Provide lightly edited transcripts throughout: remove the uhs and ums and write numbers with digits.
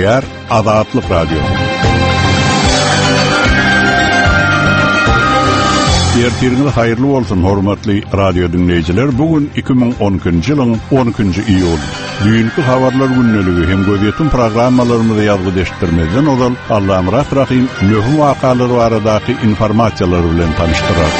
Gepleýär Azatlyk Radiosy. Ertiriňiz haýyrly bolsun, hormatly radio diňleýjiler. Bu gün 2012-nji ýylyň 12-nji iýuly. Düýnki habarlar gündeligi hem gözýetim programmalarymyzy ýazgy eşitdirmezden ozal Allamyrat Rahym möhüm wakalar baradaky informasiýalar bilen tanyşdyrar.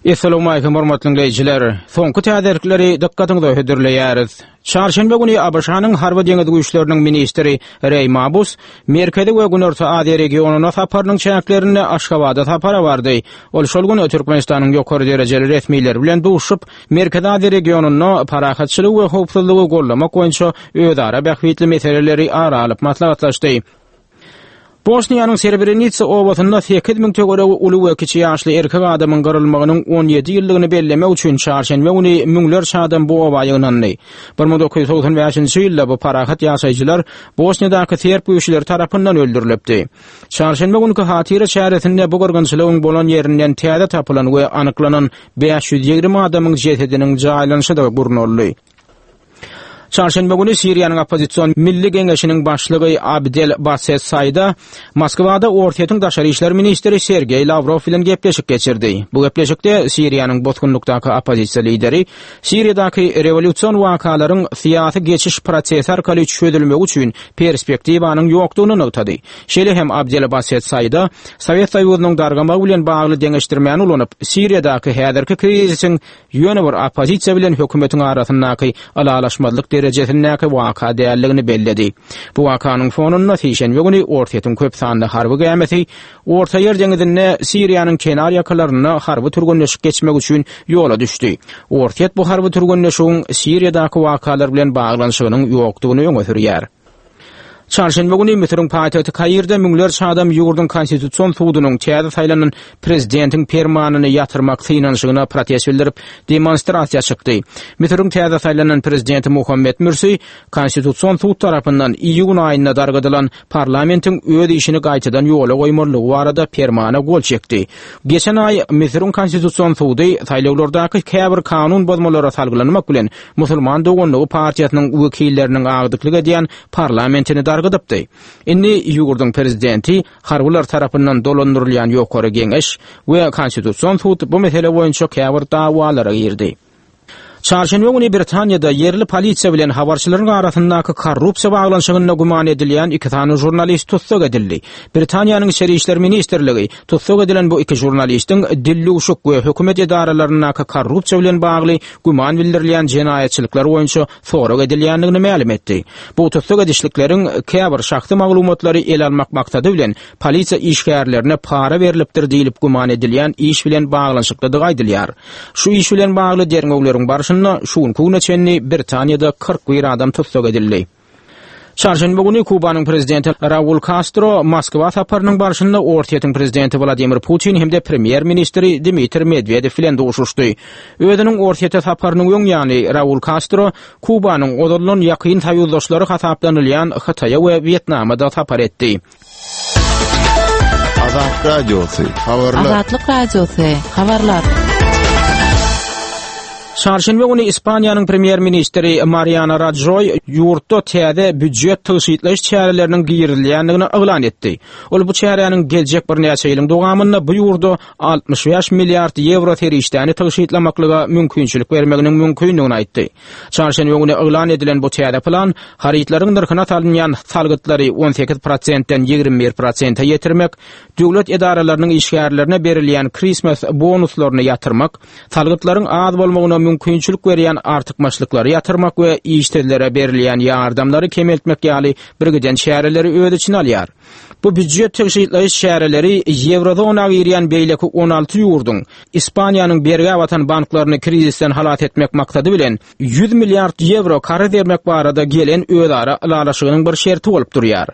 Essalawmalikim hormatly diňleýjiler! Soňky täzelikleri dykgatyňyza hödürleýäris. Çarşenbe güni ABŞ-nyň Harby deňiz güýçleriniň ministri Reý Mabus Merkezi we Günorta Aziýa regionyna saparynyň çäklerinde Aşgabada sapara bardy. Ol şol gün Türkmenistanyň ýokary derejeli resmileri bilen duşuşyp, Merkezi Aziýa regionynda parahatçylygy we howpsuzlygy goldamak boýunça özara bähbitli meseleleri ara alyp maslahatlaşdy. Bosniýanyň Srebrenitsa obasynda 8000 töweregi uly we kiçi ýaşly erkek adamyň gyrylmagynyň 17 ýyllygyny bellemek üçin çarşenbe güni müňlerçe adam bu oba ýygnandy. 1995-nji ýylda bu parahat ýaşaýjylar Bosniýadaky serb güýçleri tarapyndan öldürilipdi. Çarşenbe günki hatyra çäresinde bu gyrgynçylygyň bolan ýerinden täze tapylan we anyklanan 520 adamyň jesediniň jaýlanyşy-da gurnaldy. Çarşenbe güni Siriýanyň oppozision Milli Geňeşiniň başlygy Abdel Baset Saýda Moskwada Orsýetiň daşary işler ministri Sergeý Lawrow bilen gepleşik geçirdi. Bu gepleşikde Siriýanyň bosgunlykdaky oppozisiýa lideri Siriýadaky rewolýusion wakalaryň syýasy geçiş prosesi arkaly çözülmegi üçin perspektiwanyň ýokdugyny nygtady. Şeýle hem Abdel Baset Saýda Sowet Soýuzynyň dargamagy bilen bagly deňeşdirmäni ulanyp, Siriýadaky häzirki krizisiň ýöne bir oppozisiýa bilen hökümetiň arasyndaky ylalaşmazlyk derejesindäki waka däldigini belledi. Bu wakanyň fonunda sişenbe güni Orsýetiň köp sanly harby gämisi Ortaýer deňizinde Siriýanyň kenar ýakalarynda harby türgenleşik geçmek üçin ýola düşdi. Orsýet bu harby türgenleşigiň Siriýadaky wakalar bilen baglanyşygynyň ýokdugyny öňe sürýär. Çarşenbe güni Müsüriň paýtagty Kairde müňlerçe adam ýurduň Konstitusion sudunyň täze saýlanan prezidentiň permanyny ýatyrmak synanyşygyna protest bildirip, demonstrasiýa çykdy. Müsüriň täze saýlanan prezidenti Muhammed Mürsi Konstitusion sud tarapyndan iýun aýynda dargadylan parlamentiň öz işini gaýtadan ýola goýmalydygy barada permana gol çekdi. Geçen aý Müsüriň Konstitusion sudy saýlawlardaky käbir kanun bozmalara salgylanmak bilen Musulman doganlygy partiýasynyň wekilleriniň agdyklyk edýän parlamentini dargadypdy. Indi ýurduň prezidenti, harbylar tarapyndan dolandyrylýan Ýokary Geňeş we Konstitusion sud bu mesele boýunça käbir dawalara girdi. Çarşenbe güni Britaniýada ýerli polisiýa bilen habarçylaryň arasyndaky korrupsiýa baglanyşygynda güman edilýän iki sany žurnalist tussag edildi. Britaniýanyň Içeri işler ministrligi tussag edilen bu iki žurnalistiň dildüwşük we hökümet edaralaryndaky korrupsiýa bilen bagly güman bildirilýän jenaýatçylyklar boýunça sorag edilýändigini mälim etdi. Bu tussag edişlikleriň käbir şahsy maglumatlary ele almak maksady bilen polisiýa işgärlerine para berlipdir diýlip güman edilýän iş bilen baglanyşyklydygy aýdylýar. Şu iş bilen bagly derňewleriň barşynda şu günki güne çenli Britaniýada 41 adam tussag edildi. Çarşenbe güni Kubanyň prezidenti Raul Kastro Moskwa saparynyň barşynda Orsýetiň prezidenti Wladimir Putin hem-de premýer-ministri Dmitriý Medwedew bilen duşuşdy. Özüniň Orsýete saparynyň öň ýany Raul Kastro Kubanyň ozaldan ýakyn soýuzdaşlary hasaplanylýan Hytaýa we Wýetnama-da sapar etdi. Azat Radiosy, habarlar. Azatlyk Radiosy, habarlar. Çarşenbe güni Ispaniýanyň premýer-ministri Mariano Rajoý ýurtda täze býujet tygşytlaýyş çäreleriniň girizilýändigini yglan etdi. Ol bu çäräniň geljek birnäçe ýylyň dowamynda bu ýurda 65 milliard ýewro serişdäni tygşytlamaklyga mümkinçilik bermeginiň mümkindigini aýtdy. Çarşenbe güni yglan edilen bu täze plan harytlaryň nyrhyna salynýan salgytlary 18 prosentden 21 prosente ýetirmek, döwlet edaralarynyň işgärlerine berilýän Christmas bonuslaryny ýatyrmak, salgytlaryň az bolmagyna mümkinçilik berýän artykmaçlyklary ýatyrmak we işsizlere berilýän ýardamlary kemeltmek ýaly birgiden çäreleri öz içine alýar. Bu býujet tygşytlaýyş çäreleri ýewrozona girýän beýleki 16 ýurduň Ispaniýanyň bergä batan banklaryny krizisden halas etmek maksady bilen 100 milliard ýewro karz bermek barada gelen özara ylalaşygynyň bir şerti bolup durýar.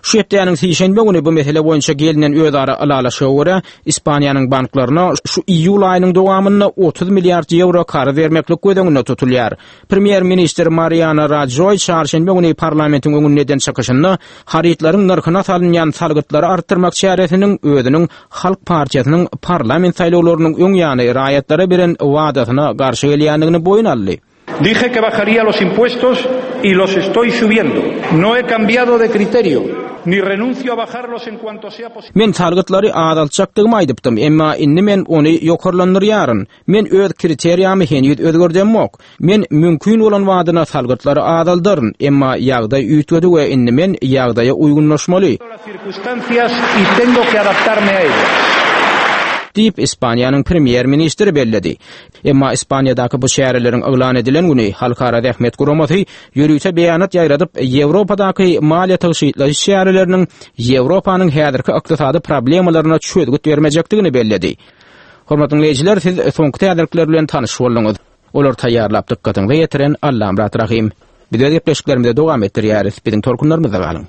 Şu hepdäniň sişenbe güni bu mesele boýunça gelnen özara ylalaşyga görä, Ispaniýanyň banklaryna şu iýul aýynyň dowamynda 30 milliard ýewro karz bermeklik göz öňünde tutulýar. Premýer-ministr Mariano Rajoý çarşenbe güni parlamentiň öňünde eden çykyşynda harytlaryň nyrhyna salynýan salgytlary artdyrmak çäresiniň özüniň Halk partiýasynyň parlament saýlawlarynyň öň ýany raýatlara beren wadasyna garşy gelýändigini boýun aldy. Dije que bajaría los impuestos y los estoy subiendo. No he cambiado de criterio, ni renuncio a bajarlos en cuanto sea posible. Men salgytlary azaltjakdygymy aýdypdym, emma indi men ony ýokarlandyrýaryn. Men öz kriteriýamy heniz özgerdemok. Men mümkin bolan badyna salgytlary azaldaryn, emma ýagdaý üýtgedi we indi men ýagdaýa uýgunlaşmaly. Diýip, Ispaniýanyň premýer-ministri belledi. Emma Ispaniýadaky bu çäreleriň yglan edilen güni Halkara zähmet guramasy ýörite beýanat ýaýradyp, Ýewropadaky maliýe tygşytlaýyş çäreleriniň Ýewropanyň häzirki ykdysady problemalaryna çözgüt bermejekdigini belledi. Hormatly diňleýjiler, siz soňky täzelikler bilen tanyş bolduňyz. Olary taýýarlap dykgatyňyza ýetiren Allamyrat Rahym. Biz öz gepleşiklerimizi dowam etdirýäris. Biziň tolkunlarymyzda galyň.